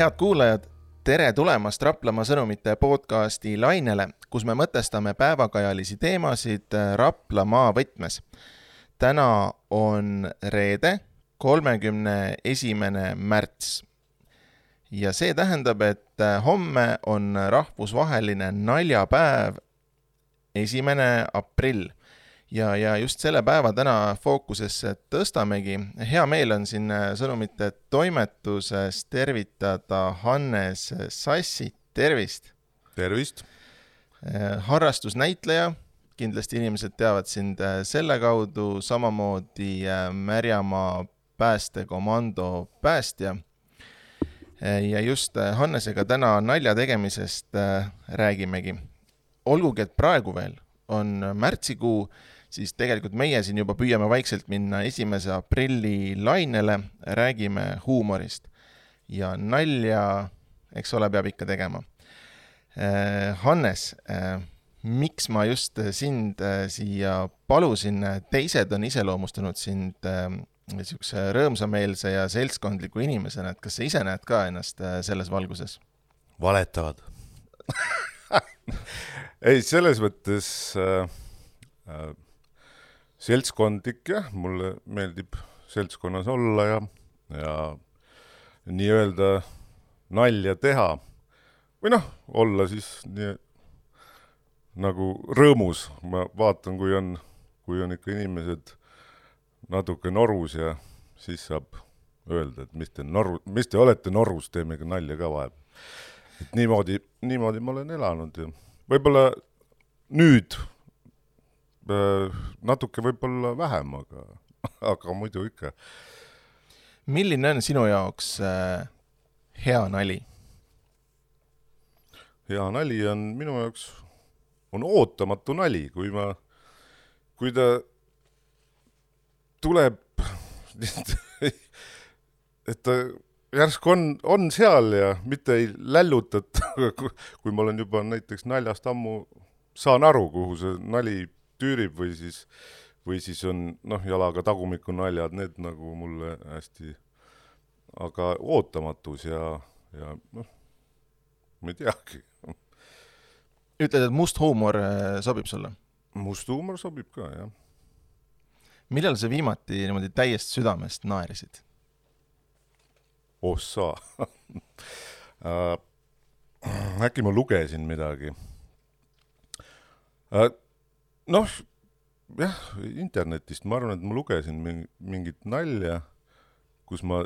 Head kuulajad, tere tulemast Raplamaa sõnumite podcasti lainele, kus me mõtestame päevakajalisi teemasid Raplamaa võtmes. Täna on reede, 31. märts. Ja see tähendab, et homme on rahvusvaheline naljapäev 1. aprill. Ja just selle päeva täna fookusesse tõstamegi. Hea meel on siin sõnumite toimetuses tervitada Hannes Sassit. Tervist! Tervist! Harrastusnäitleja. Kindlasti inimesed teavad sind selle kaudu, samamoodi Märjamaa päästekomando päästja. Ja just Hannesega täna nalja tegemisest räägimegi. Olgugi, et praegu veel on märtsikuu, siis tegelikult meie siin juba püüame vaikselt minna 1. aprilli lainele, räägime huumorist. Ja nalja, eks ole, peab ikka tegema. Hannes, miks ma just sind siia palusin? Teised on iseloomustanud sind niisuguse rõõmsameelse ja seltskondliku inimesena, et kas sa ise näed ka ennast selles valguses? Valetavad. Ei, selles mõttes seltskondlik, jah, mulle meeldib seltskonnas olla ja nii öelda nalja teha. Või olla siis nii, nagu rõõmus. Ma vaatan, kui on ikka inimesed natuke norus ja siis saab öelda, et mis te olete norus, teeme ka nalja ka vahel. Et niimoodi ma olen elanud ja võib-olla nüüd natuke võib-olla vähem, aga muidu ikka. Milline on sinu jaoks hea nali? Hea nali on minu jaoks on ootamatu nali, kui ta tuleb, et ta järsku on seal ja mitte ei lällutat, kui ma olen juba näiteks naljast ammu saan aru, kuhu see nali tüürib või siis on jalaga tagumiku naljad, need nagu mulle hästi, aga ootamatus ja ma ei teagi. Ütled, et must huumor sobib sulle? Must huumor sobib ka, jah. Millal sa viimati niimoodi täiest südamest naerisid? Ossa. Äkki ma lugesin midagi. Jah, internetist ma arvan, et ma lugesin mingit nalja, kus ma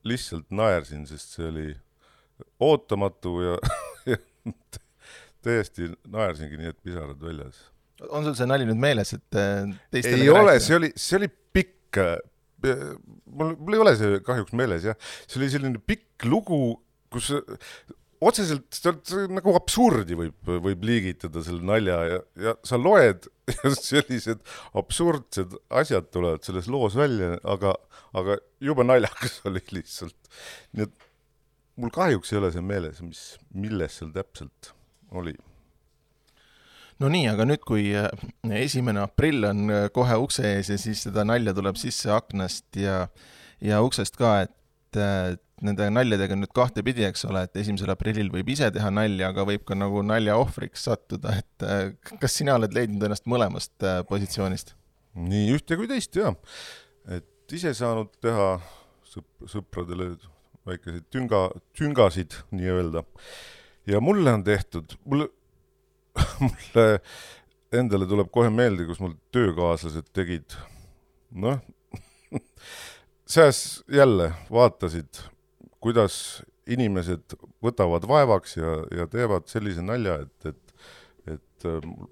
lihtsalt naersin, sest see oli ootamatu ja täiesti naersingi nii, et pisarad väljas. On sul see nali nüüd meeles, et teistele ei ole, see oli pikk, mul ei ole see kahjuks meeles, jah. See oli selline pikk lugu, kus otseselt nagu absurdi võib liigitada selle nalja ja sa loed ja sellised absurdsed asjad tulevad selles loos välja, aga juba naljakas oli lihtsalt. Nii et mul kahjuks ei ole see meeles, milles seal täpselt oli. No nii, aga nüüd kui 1. aprill on kohe ukse ees ja siis seda nalja tuleb sisse aknast ja uksest ka, et nende naljadega nüüd kahte pidi, eks ole, et 1. aprillil võib ise teha nalja, aga võib ka nagu nalja ohvriks sattuda, et kas sina oled leidnud ennast mõlemast positsioonist? Nii ühte kui teist, jah. Et ise saanud teha sõpradele väikeseid tüngasid, nii öelda. Ja mulle on tehtud, mulle endale tuleb kohe meelde, kus mul töökaaslased tegid, seas jälle vaatasid, kuidas inimesed võtavad vaevaks ja teevad sellise nalja, et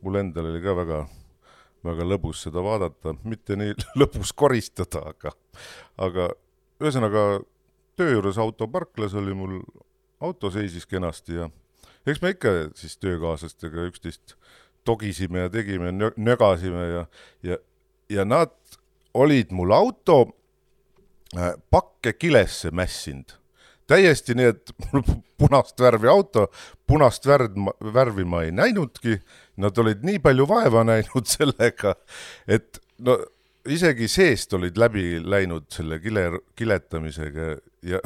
mul endal oli ka väga, väga lõbus seda vaadata, mitte nii lõbus koristada, aga ühesõnaga töö juures autoparklas oli mul auto seisis kenasti ja eks me ikka siis töökaaslastega üksteist togisime ja tegime, nögasime ja nad olid mul auto pakke kilesse mässinud. Täiesti nii, et mul punast värvi auto, punast värvi ma ei näinudki, nad olid nii palju vaeva näinud sellega, et isegi seest olid läbi läinud selle kiletamisega ja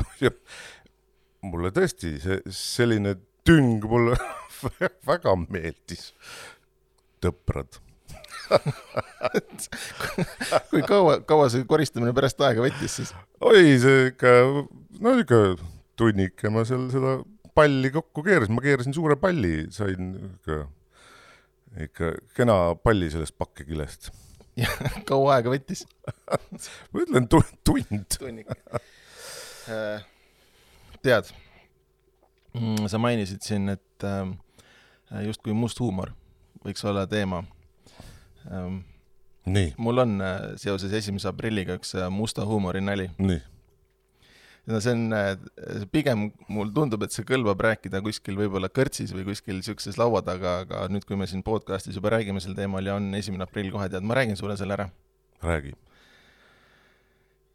mulle tõesti selline tüng mulle väga meeldis. Tõprad. Kui kaua see koristamine pärast aega võttis siis? Oi, see ikka, no ikka tunnike ma seal seda palli kokku keerasin. Ma keerasin suure palli, sain ikka kena palli sellest pakkekilest. Ja kaua aega võttis? Ma ütlen tund. Tunnik. Tead, sa mainisid siin, et just kui must huumor võiks olla teema. Nii. Mul on seoses 1. aprilliga üks musta huumori nali. Nii. Ja see on pigem, mul tundub, et see kõlbab rääkida kuskil võib-olla kõrtsis või kuskil siukses laua taga, aga nüüd, kui me siin podcastis juba räägime sel teemal ja on 1. aprill kohe, tead, ma räägin sulle selle ära. Räägi.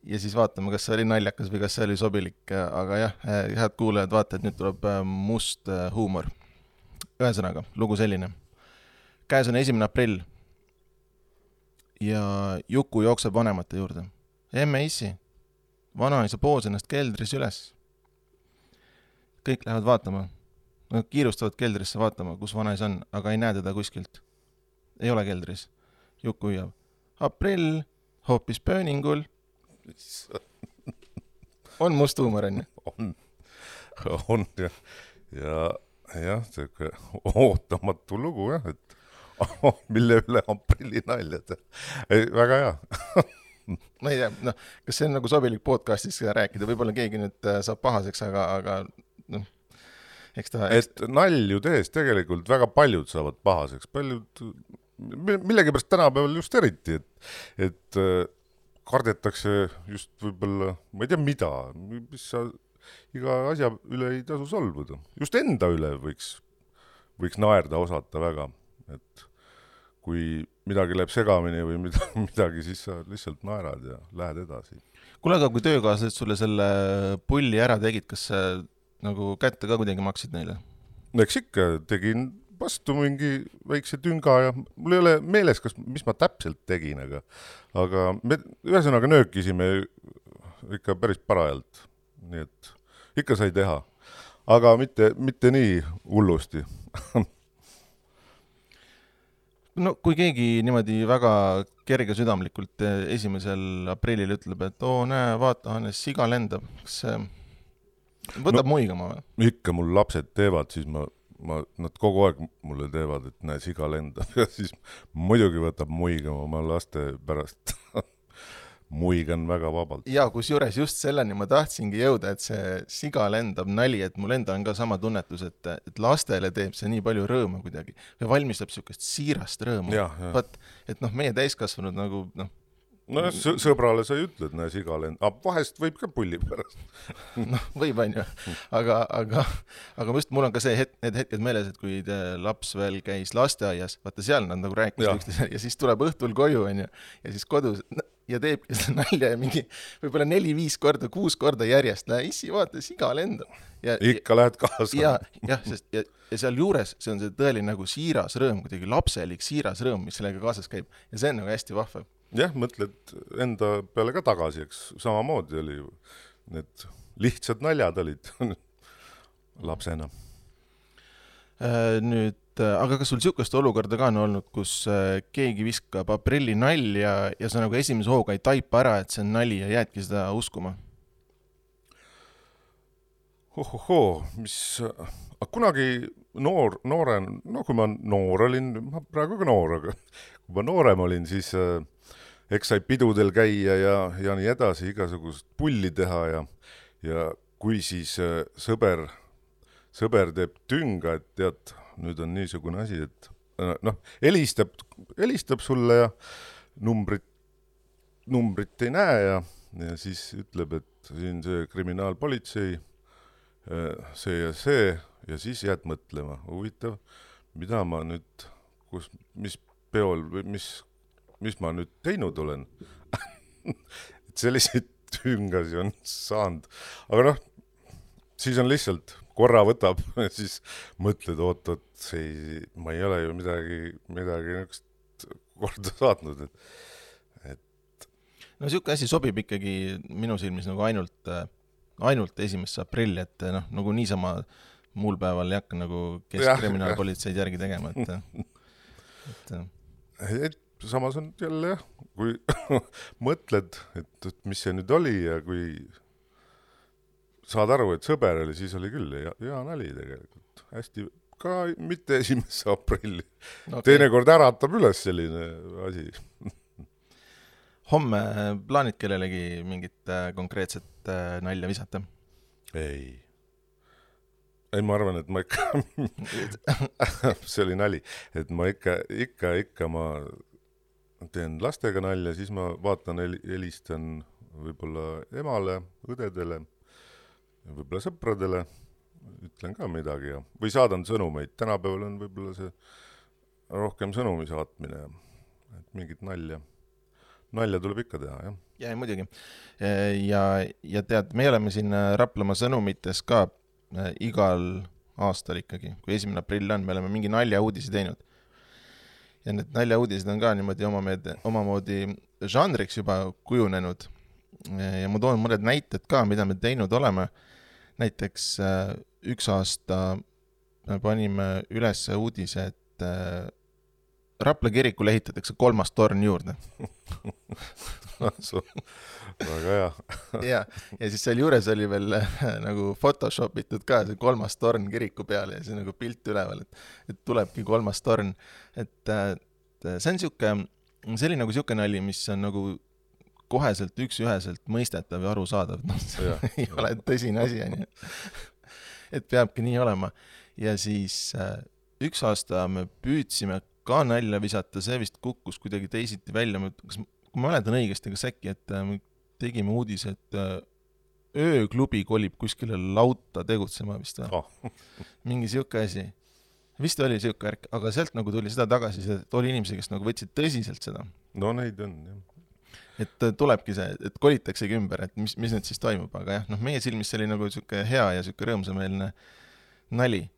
Ja siis vaatame, kas see oli naljakas või kas see oli sobilik, aga jah, head kuulajad, vaata, et nüüd tuleb must huumor. Ühesõnaga, lugu selline. Käes on 1. aprill ja Juku jookseb vanemate juurde. Emme issi, vanaisa poos ennast keldris üles. Kõik lähevad vaatama. Kiirustavad keldrisse vaatama, kus vanaisa on, aga ei näe teda kuskilt. Ei ole keldris. Juku hüüab. Aprill, hoopis pööningul. On must huumor, on ju? On ja see ootamatu lugu, jah, et mille üle aprilli naljad. Väga hea. Ma ei tea, noh, kas see on nagu sobilik podcastis rääkida, võib-olla keegi nüüd saab pahaseks, aga noh, eks ta... Et nalju tees tegelikult väga paljud saavad pahaseks, millegipärast tänapäeval just eriti, et kardetakse just võib-olla, ma ei tea mida, mis sa iga asja üle ei tasu solvuda. Just enda üle võiks naerda osata väga, et kui midagi läheb segamini või midagi, siis sa lihtsalt naerad ja lähed edasi. Kuule, aga kui töökaaslased sulle selle pulli ära tegid, kas sa nagu kätte ka kuidagi maksid neile? Eks ikka tegin vastu mingi väikse tünga ja mul ei ole meeles, mis ma täpselt tegin, aga me ühesõnaga nöökisime ikka päris parajalt, nii et ikka sai teha, aga mitte nii hullusti. No kui keegi niimoodi väga kerge südamlikult 1. aprillil ütleb, et näe, vaata, Hannes, siga lendab, kas võtab muigama või? Ikka mul lapsed teevad, siis nad kogu aeg mulle teevad, et näe, siga lendab ja siis muidugi võtab muigama oma laste pärast. Muigan väga vabalt. Ja kus juures just selleni ma tahtsingi jõuda, et see siga lendab nali, et mul enda on ka sama tunnetus, et lastele teeb see nii palju rõõmu kuidagi või valmistab siukest siirast rõõmu. Vaat, et meie täiskasvanud nagu sõbrale sa ei ütled, näe siga lendab, vahest võib ka pulli pärast. Võib on ju, aga just mul on ka need hetked meeles, et kui laps veel käis lasteaias, vaata seal nad nagu rääkisid üksteisele ja siis tuleb õhtul koju on ju, ja siis kodus ja teebki seda nalja ja mingi võib-olla 4-5 korda, 6 korda järjest. Issi, vaata, siga lendab. Ikka lähed kaasa. Ja seal juures see on see tõeline nagu siiras rõõm, kuidagi lapselik siiras rõõm, mis sellega kaasas käib. Ja see on nagu hästi vahva. Jah, mõtled enda peale ka tagasi, eks samamoodi oli need lihtsad naljad olid lapsena. Nüüd, aga kas sul siukest olukorda ka on olnud, kus keegi viskab aprilli nalja ja sa nagu esimese hooga ei taipa ära, et see on nali ja jäädki seda uskuma? Kunagi nooren, kui ma noor olin, ma praegu ka noor, aga kui ma noorem olin, siis eks sai pidudel käia ja nii edasi, igasugust pulli teha ja kui siis sõber teeb tünga, et tead, nüüd on niisugune asi, et helistab sulle ja numbrit ei näe ja siis ütleb, et siin see kriminaalpolitsei, see ja siis jääd mõtlema. Huvitav, mida ma nüüd, mis peol või mis ma nüüd teinud olen? Et selliseid tüngasi on saanud. Aga siis on lihtsalt korra võtab ja siis mõtled, oot, ma ei ole ju midagi niisugust korda saatnud. No siuke asi sobib ikkagi minu silmis nagu ainult ainult 1. aprilli, et noh, nagu niisama muul päeval ei hakka nagu keskkriminaalpolitseid järgi tegema, et samas on jälle jah, kui mõtled, et mis see nüüd oli ja kui saad aru, et sõber oli, siis oli küll hea nali tegelikult. Hästi, ka mitte 1. aprilli. Okay. Teinekord äratab üles selline asi. Homme plaanid kellelegi mingit konkreetset nalja visata? Ei, ma arvan, et ma ikka see oli nali, et ma ikka ma teen lastega nalja, siis ma vaatan, helistan võib-olla emale, õdedele, võib-olla sõpradele, ütlen ka midagi või saadan sõnumeid. Tänapäeval on võib-olla see rohkem sõnumi saatmine, et mingit nalja tuleb ikka teha, jah. Ja muidugi. Ja tead, me oleme siin Raplamaa sõnumites ka igal aastal ikkagi, kui 1. aprill on, me oleme mingi naljauudisi teinud. Ja need naljauudised on ka niimoodi omamoodi žanriks juba kujunenud. Ja ma toon mõned näited ka, mida me teinud oleme. Näiteks üks aasta panime üles uudise, et Rapla kirikule ehitatakse 3. torn juurde. Väga hea. ja siis seal juures oli veel nagu photoshopitud ka see 3. torn kiriku peale ja see nagu pilt üleval, et tulebki 3. torn. Et see on see oli nagu siuke nali, mis on nagu koheselt üks-üheselt mõistetav ja arusaadav. No, ei ole tõsine asi, et peabki nii olema. Ja siis üks aasta me püüdsime ka nalja visata, see vist kukkus kuidagi teisiti välja. Kui ma mäletan õigesti, kas äkki, et me tegime uudis, et ööklubi kolib kuskile lauta tegutsema vist. Mingi siuke asi. Vist oli siuke ärk, aga sealt nagu tuli seda tagasi, et oli inimesi, kes nagu võtsid tõsiselt seda. No neid on, jah. Et tulebki see, et kolitaksegi ümber, et mis nüüd siis toimub, aga jah, meie silmis see oli nagu siuke hea ja siuke rõõmsameelne nali.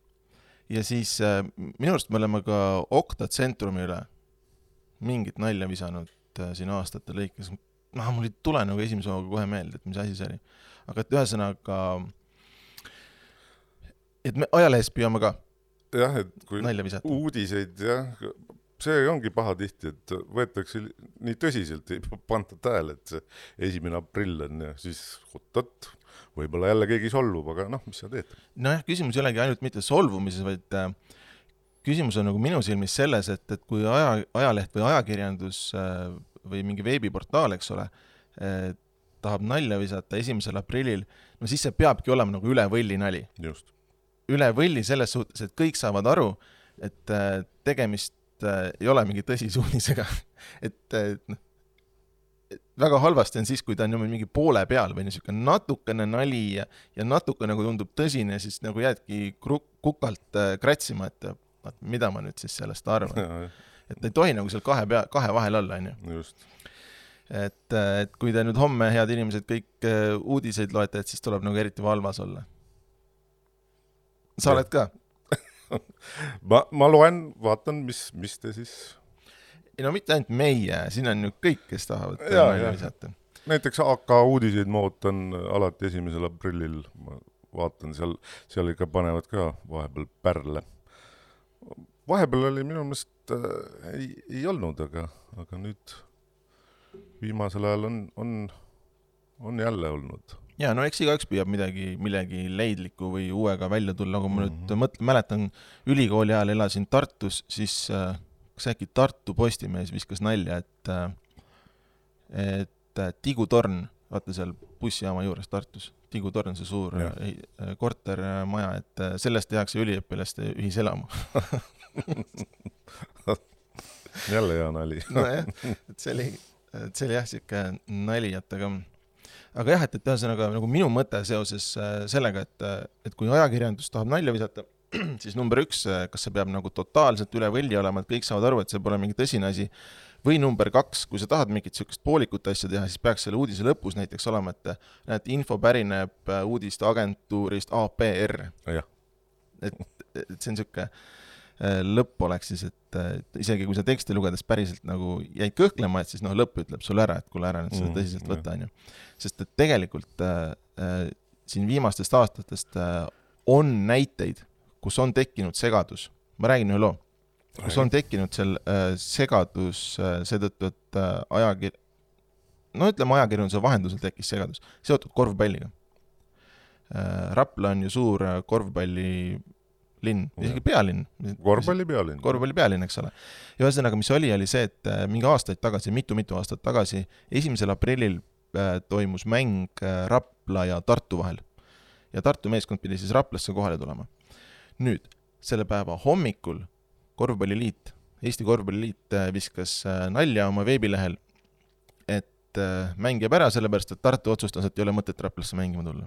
Ja siis minu arust me oleme ka Okta tsentrumi üle mingit nalja visanud siin aastate lõikes. Mul ei tule nagu esimese hooga kohe meelde, et mis asi see oli. Aga et ühesõnaga, et me ajalehes püüame ka jah, et kui nalja visata. Uudiseid, jah, see ongi paha tihti, et võetakse nii tõsiselt, ei panta tähele, et see 1. aprill on ja siis otot, võib-olla jälle keegi solvub, aga mis sa teed? Nojah, küsimus ei olegi ainult mitte solvumises, vaid küsimus on nagu minu silmis selles, et kui ajaleht või ajakirjandus või mingi veebiportaal, eks ole, tahab nalja visata 1. aprillil, no siis see peabki olema nagu üle võlli nali. Just. Üle võlli selles suhtes, et kõik saavad aru, et tegemist ei ole mingi tõsisuunisega. Et väga halvasti on siis, kui ta on mingi poole peal või niisugune natukene nali ja natuke nagu tundub tõsine, siis nagu jäädki kukalt kratsima, et mida ma nüüd siis sellest arvan. Et ei tohi nagu seal kahe vahel olla, on ju. Just. Et kui te nüüd homme, head inimesed, kõik uudiseid loete, et siis tuleb nagu eriti valvas olla. Sa oled ka? ma loen, vaatan, mis te siis... No mitte ainult meie, siin on ju kõik, kes tahavad nalja visata. Näiteks AK uudiseid ma ootan alati 1. aprillil. Ma vaatan, seal ikka panevad ka vahepeal pärle. Vahepeal oli minu meelest ei olnud, aga nüüd viimasel ajal on jälle olnud. Ja, no eks igaüks püüab millegi leidliku või uuega välja tulla. Kui ma nüüd mäletan, ülikooli ajal elasin Tartus, siis kas äkki Tartu Postimees viskas nalja, et Tigutorn, vaata seal bussijaama juures Tartus, Tigutorn, see suur kortermaja, et sellest tehakse üliõpilaste ühiselamu. Jälle hea nali. No jah, et see oli jah siuke nali, aga jah, et ühesõnaga nagu minu mõte seoses sellega, et kui ajakirjandus tahab nalja visata, siis number 1, kas see peab nagu totaalselt üle võlli olema, et kõik saavad aru, et see pole mingi tõsine asi, või number 2, kui sa tahad mingit siukest poolikut asja teha, siis peaks selle uudise lõpus näiteks olema, et näed, info pärineb uudiste agentuurist APR. Et see on siuke lõpp oleks siis, et isegi kui sa teksti lugedes päriselt nagu jäid kõhklema, et siis lõpp ütleb sulle ära, et kuule ära nüüd seda tõsiselt võtta, on ju. Sest et tegelikult siin viimastest aastatest on näiteid, kus on tekkinud segadus. Ma räägin ühe loo. Kus on tekkinud seal segadus seetõttu, et ajakirjanduse vahendusel tekkis segadus. Seotud korvpalliga. Rapla on ju suur korvpallilinn, isegi pealinn. Korvpalli pealinn, eks ole. Ja ühesõnaga, mis oli see, et mingi aastaid tagasi, mitu aastat tagasi, 1. aprillil toimus mäng Rapla ja Tartu vahel. Ja Tartu meeskond pidi siis Raplasse kohale tulema. Nüüd, selle päeva hommikul Eesti Korvpalliliit viskas nalja oma veebilehel, et mäng jääb ära, sellepärast, et Tartu otsustas, et ei ole mõtet Raplasse mängima tulla.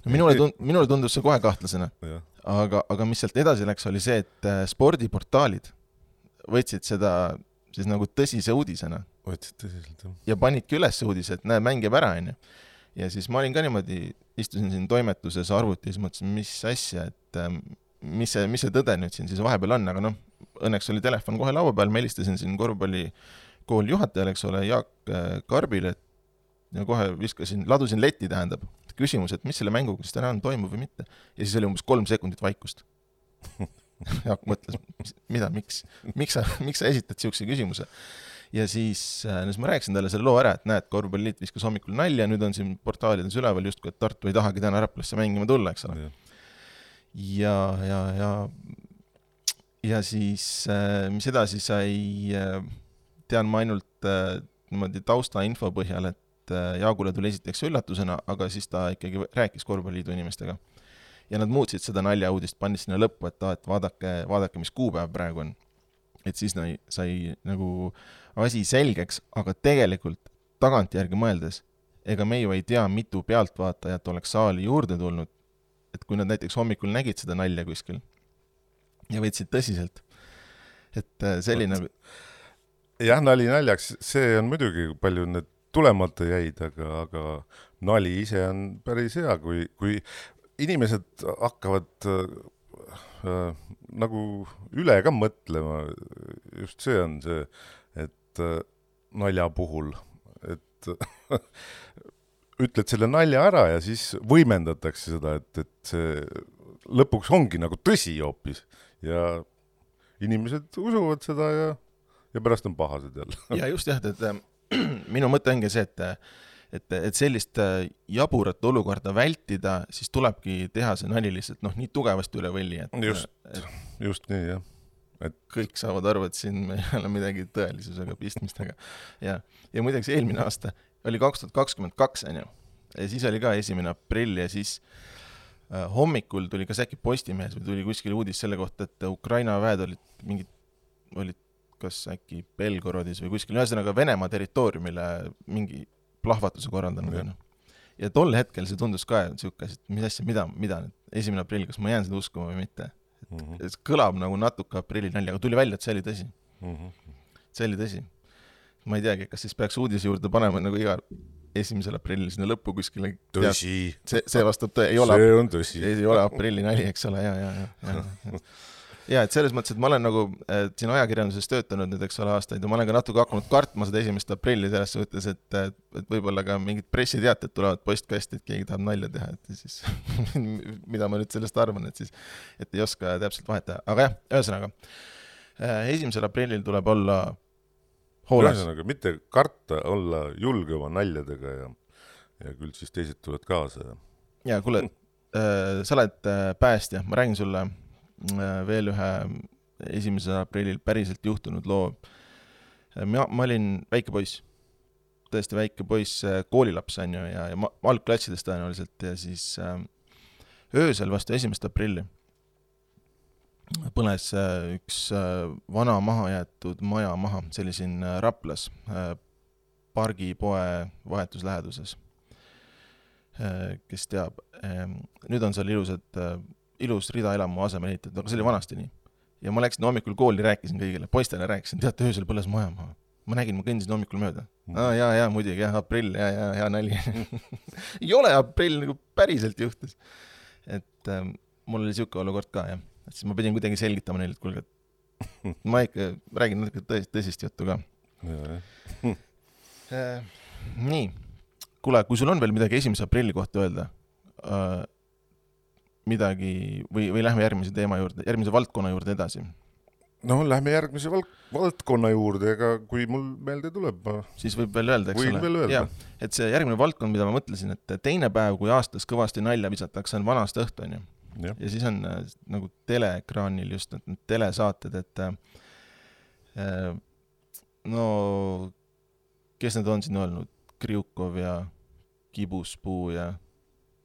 Minule tundus see kohe kahtlasena. Aga mis sealt edasi läks, oli see, et spordiportaalid võtsid seda siis nagu tõsise uudisena. Võtsid tõsiselt, jah. Ja panidki üles uudise, et näe, mäng jääb ära, on ju. Ja siis ma olin ka niimoodi, istusin siin toimetuses arvutis, mõtlesin, mis asja, et mis see tõde nüüd siin siis vahepeal on, aga õnneks oli telefon kohe laua peal, ma helistasin siin korvpallikooli juhatajal, eks ole, Jaak Karbile, ja kohe ladusin letti, tähendab, küsimus, et mis selle mänguga siis täna on toimub või mitte. Ja siis oli umbes 3 sekundit vaikust. Jaak mõtles, miks sa esitad siukse küsimuse? Ja siis ma rääkisin talle selle loo ära, et näed, Korvpalliliit viskas hommikul nalja, nüüd on siin portaalides üleval justkui, et Tartu ei tahagi täna Raplasse mängima tulla, eks ole. Ja siis, mis edasi sai, tean ma ainult niimoodi tausta info põhjal, et Jaagule tuli esiteks üllatusena, aga siis ta ikkagi rääkis Korvpalliliidu inimestega. Ja nad muutsid seda naljauudist, pandis sinna lõppu, et vaadake, mis kuupäev praegu on. Et siis sai nagu asi selgeks, aga tegelikult tagantjärgi mõeldes, ega me ju ei tea, mitu pealtvaatajat oleks saali juurde tulnud, et kui nad näiteks hommikul nägid seda nalja kuskil ja võtsid tõsiselt, et selline... Jah, nali naljaks, see on muidugi palju need tulemata jäid, aga nali ise on päris hea, kui inimesed hakkavad nagu üle ka mõtlema, just see on see, et nalja puhul, et ütled selle nalja ära ja siis võimendatakse seda, et see lõpuks ongi nagu tõsi hoopis ja inimesed usuvad seda ja pärast on pahased jälle. Ja just jah, et minu mõte ongi see, et sellist jaburat olukorda vältida, siis tulebki teha see nali lihtsalt nii tugevasti üle võlli. Just nii, jah. Et kõik saavad aru, et siin ei ole midagi tõelisusega pistmistega. Ja muideks eelmine aasta oli 2022, on ju. Ja siis oli ka 1. aprill ja siis hommikul tuli ka äkki Postimehes või tuli kuskil uudis selle kohta, et Ukraina väed olid kas äkki Belgorodis või kuskil, ühesõnaga Venemaa territooriumile mingi plahvatuse korraldanud. Ja tol hetkel see tundus ka siuke, et mis asja, mida nüüd 1. aprill, kas ma jään seda uskuma või mitte. Et kõlab nagu natuke aprilli nalja, aga tuli välja, et see oli tõsi. See oli tõsi. Ma ei teagi, kas siis peaks uudise juurde panema nagu iga 1. aprillil sinna lõppu kuskile. Tõsi. See vastab tõe. See on tõsi. Ei ole aprilli nali, eks ole, ja et selles mõttes, et ma olen nagu siin ajakirjanduses töötanud nüüd, eks ole, aastaid ja ma olen ka natuke hakanud kartma seda 1. aprilli selles suhtes, et võib-olla ka mingid pressiteated tulevad postkasti, et keegi tahab nalja teha, et siis mida ma nüüd sellest arvan, et siis et ei oska täpselt vahetada. Aga jah, ühesõnaga 1. aprillil tuleb olla hoolas. Ühesõnaga, mitte karta, olla julge oma naljadega ja küll siis teised tulevad kaasa. Ja kuule, sa oled päästja, ma räägin sulle veel ühe 1. aprillil päriselt juhtunud loo. Ma olin väike poiss, tõesti väike poiss, koolilaps on ju, ja algklassides tõenäoliselt ja siis öösel vastu 1. aprilli põles üks vana maha jäetud maja maha, see oli siin Raplas pargipoe vahetusläheduses. Kes teab, nüüd on seal ilus ridaelamu asemel ehitatud, aga see oli vanasti nii. Ja ma läksin hommikul kooli, rääkisin kõigile, poistele rääkisin, teate, öösel põles maja maha. Ma nägin, ma kõndisin hommikul mööda. Ja, muidugi, aprill, ja nali. Ei ole aprill, nagu päriselt juhtus. Et mul oli siuke olukord ka, jah. Et siis ma pidin kuidagi selgitama neile, et kuulge, ma ikka räägin natuke tõsist juttu ka. Nii, kuule, kui sul on veel midagi 1. aprilli kohta öelda, midagi või lähme järgmise teema juurde, järgmise valdkonna juurde edasi? No lähme järgmise valdkonna juurde, ega kui mul meelde tuleb, siis võib veel öelda, eks võin veel öelda. Et see järgmine valdkond, mida ma mõtlesin, et teine päev, kui aastas kõvasti nalja visatakse, on vanast õhtu, on ju. Ja siis on nagu teleekraanil just need telesaated, et no kes need on siin olnud? Kriukov ja Kibuspuu ja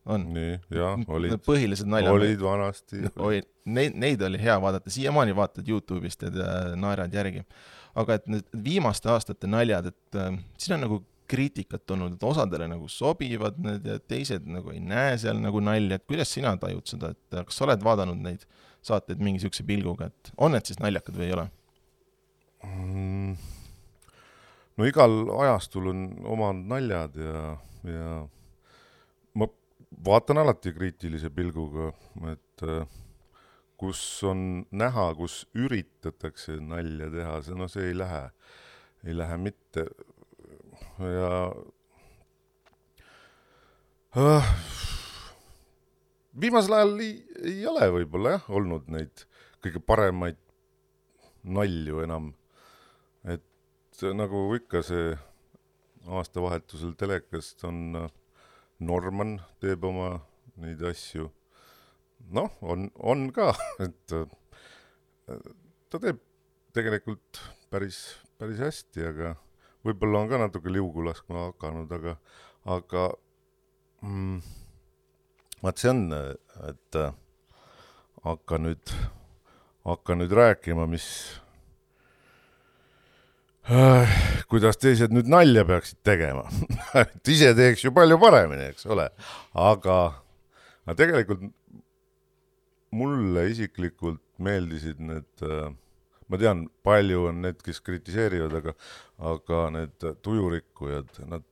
on. Nii, ja, olid. Põhilised naljad. Olid vanasti. Neid oli hea vaadata, siiamaani vaatad YouTube'ist ja naerad järgi. Aga et need viimaste aastate naljad, et siin on nagu kriitikat olnud, et osadele nagu sobivad need ja teised nagu ei näe seal nagu nalja, et kuidas sina tajud seda, et kas sa oled vaadanud neid saateid mingi siukse pilguga, et on need siis naljakad või ei ole? No igal ajastul on omad naljad ja ma vaatan alati kriitilise pilguga, et kus on näha, kus üritatakse nalja teha, see ei lähe mitte. Ja viimasel ajal ei ole võib-olla olnud neid kõige paremaid nalju enam. Et nagu ikka see aastavahetusel telekast on Norman teeb oma neid asju. Noh, on ka, et ta teeb tegelikult päris hästi, aga võib-olla on ka natuke liugu laskma hakanud, aga vaat see on, et hakka nüüd rääkima, kuidas teised nüüd nalja peaksid tegema. Et ise teeks ju palju paremini, eks ole. Aga tegelikult mulle isiklikult meeldisid need, ma tean, palju on need, kes kritiseerivad, aga need tujurikkujad, nad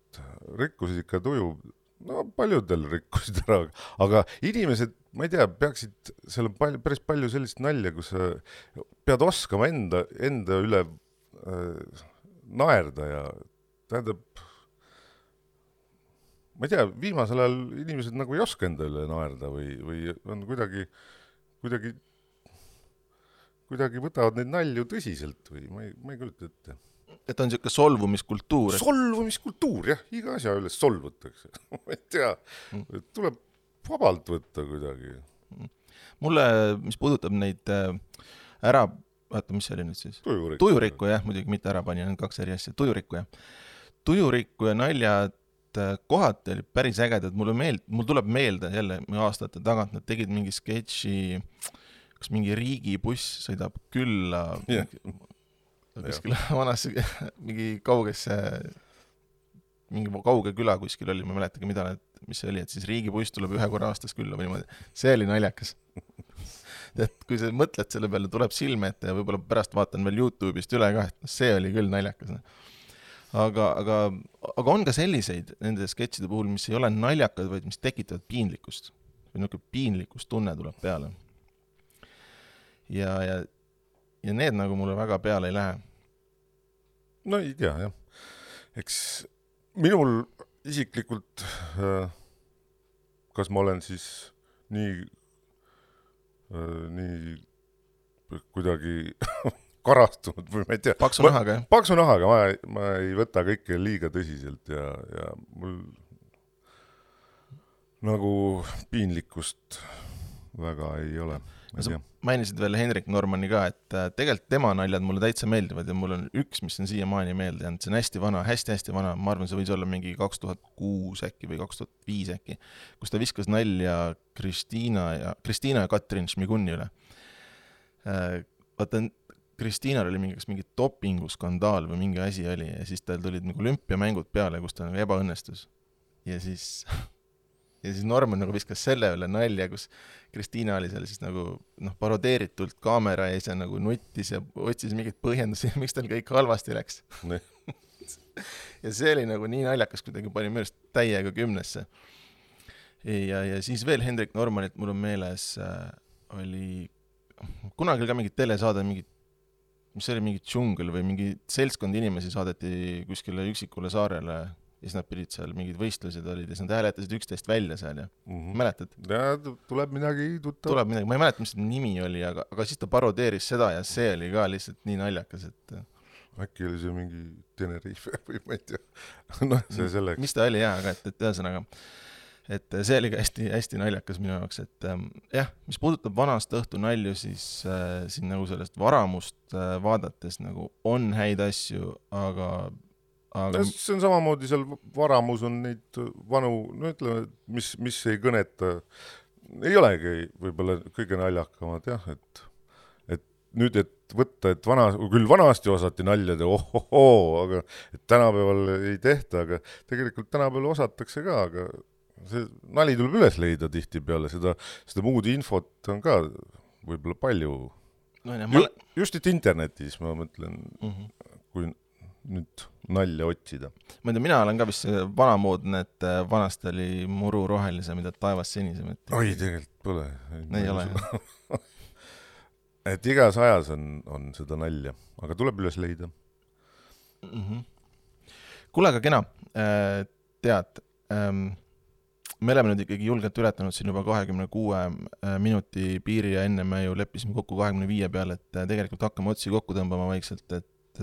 rikkusid ikka tuju, no paljudel rikkusid ära, aga inimesed, ma ei tea, peaksid, seal on päris palju sellist nalja, kus sa pead oskama enda üle naerda ja tähendab, ma ei tea, viimasel ajal inimesed nagu ei oska enda üle naerda või on kuidagi võtavad neid nalju tõsiselt või ma ei kujuta ette. Et on siuke solvumiskultuur. Solvumiskultuur, jah, iga asja üles solvutakse. Ma ei tea, tuleb vabalt võtta kuidagi. Mulle, mis puudutab neid vaata, mis see oli nüüd siis? Tujurikku, jah, muidugi mitte ärapani, on 2 eri asja. Tujurikku ja naljad kohati oli päris ägedad. Mul tuleb meelde jälle aastate tagant, nad tegid mingi sketši, kas mingi riigibuss sõidab külla kuskil vanasse, mingi kauge küla kuskil oli, ma mäletagi, mis see oli, et siis riigibuss tuleb 1 korra aastas külla või niimoodi. See oli naljakas. Et kui sa mõtled selle peale, tuleb silme ette ja võib-olla pärast vaatan veel YouTube'ist üle ka, et see oli küll naljakas. Aga on ka selliseid nende sketšide puhul, mis ei ole naljakad, vaid mis tekitavad piinlikkust. Või niisugune piinlikkust tunne tuleb peale. Ja need nagu mulle väga peale ei lähe. No ei tea, jah. Eks minul isiklikult, kas ma olen siis nii kuidagi karastunud või ma ei tea. Paksu nahaga, jah? Paksu nahaga, ma ei võta kõike liiga tõsiselt ja mul nagu piinlikkust väga ei ole. Sa mainisid veel Hendrik Normani ka, et tegelikult tema naljad mulle täitsa meeldivad ja mul on üks, mis on siiamaani meelde jäänud. See on hästi vana, hästi vana. Ma arvan, see võis olla mingi 2006 äkki või 2005 äkki, kus ta viskas nalja Kristiina ja Katrin Šmigunni üle. Vaata, Kristiinal oli mingi dopinguskandaal või mingi asi oli ja siis tal tulid nagu olümpiamängud peale, kus ta nagu ebaõnnestus. Ja siis Norman nagu viskas selle üle nalja, kus Kristiina oli seal siis nagu parodeeritult kaamera ees ja nagu nuttis ja otsis mingit põhjendusi, miks tal kõik halvasti läks. Ja see oli nagu nii naljakas, kuidagi pani mõelest täiega 10-sse. Ja siis veel Hendrik Normanilt mul on meeles oli kunagi ka mingid telesaade, mis oli mingi džungel või mingi seltskond inimesi saadeti kuskile üksikule saarele ja siis nad pidid seal mingid võistlused olid ja siis nad hääletasid üksteist välja seal ja mäletad? Ja tuleb midagi tuttav. Tuleb midagi, ma ei mäleta, mis see nimi oli, aga siis ta parodeeris seda ja see oli ka lihtsalt nii naljakas, et äkki oli see mingi Tenerife või ma ei tea. No see selleks. Mis ta oli aga et ühesõnaga, et see oli ka hästi, hästi naljakas minu jaoks, et jah, mis puudutab vanast õhtu nalju, siis siin nagu sellest varamust vaadates nagu on häid asju, aga see on samamoodi, seal varamus on neid vanu, no ütleme, mis ei kõneta, ei olegi võib-olla kõige naljakamad, jah, et nüüd, et võtta, et küll vanasti osati naljade, aga et tänapäeval ei tehta, aga tegelikult tänapäeval osatakse ka, aga see nali tuleb üles leida tihtipeale, seda muud infot on ka võib-olla palju. Just et internetis, ma mõtlen, kui nüüd nalja otsida. Ma ei tea, mina olen ka vist vanamoodne, et vanasti oli muru rohelisem, mida taevas sinisem. Oi, tegelikult pole. Ei ole. Et igas ajas on seda nalja, aga tuleb üles leida. Kuule, aga kena, tead, me oleme nüüd ikkagi julgelt ületanud siin juba 26 minuti piiri ja enne me ju leppisime kokku 25 peale, et tegelikult hakkame otsi kokku tõmbama vaikselt, et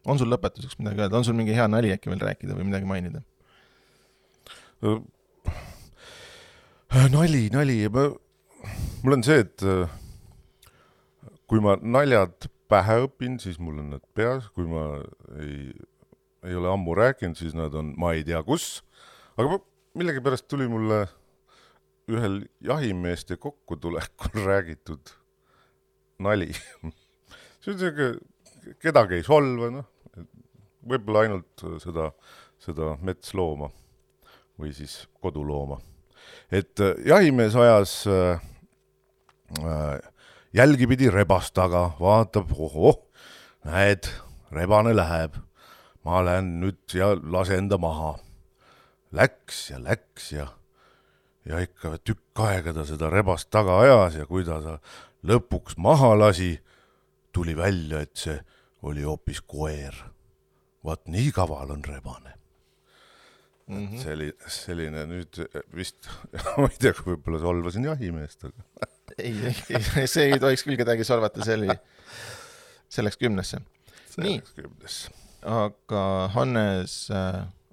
on sul lõpetuseks midagi öelda? On sul mingi hea nali äkki veel rääkida või midagi mainida? Nali. Mul on see, et kui ma naljad pähe õpin, siis mul on nad peas. Kui ma ei ole ammu rääkinud, siis nad on ma ei tea kus. Aga millegi pärast tuli mulle ühel jahimeeste kokkutulekul räägitud nali. See on see, kedagi ei solva, võib-olla ainult seda metslooma või siis kodulooma. Et jahimees ajas jälgi pidi rebast taga, vaatab, näed, rebane läheb, ma lähen nüüd ja lasen ta maha. Läks ja ikka tükk aega ta seda rebast taga ajas ja kui ta lõpuks maha lasi, tuli välja, et see oli hoopis koer. Vaat nii kaval on rebane. See oli selline nüüd vist, ma ei tea, kui võib-olla solvasin jahimeest. Aga... ei, see ei tohiks küll kedagi solvata, selleks 10. Nii, aga Hannes,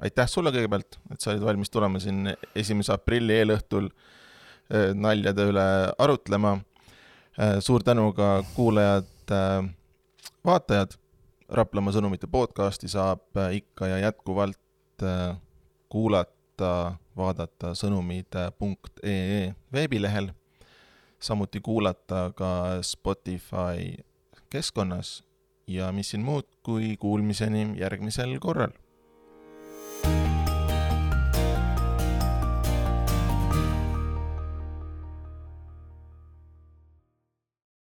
aitäh sulle kõigepealt, et sa olid valmis tulema siin 1. aprilli eelõhtul naljade üle arutlema. Suur tänu ka kuulajad, vaatajad. Raplamaa sõnumite podcasti saab ikka ja jätkuvalt kuulata, vaadata sõnumid.ee veebilehel, samuti kuulata ka Spotify keskkonnas ja mis siin muud kui kuulmiseni järgmisel korral.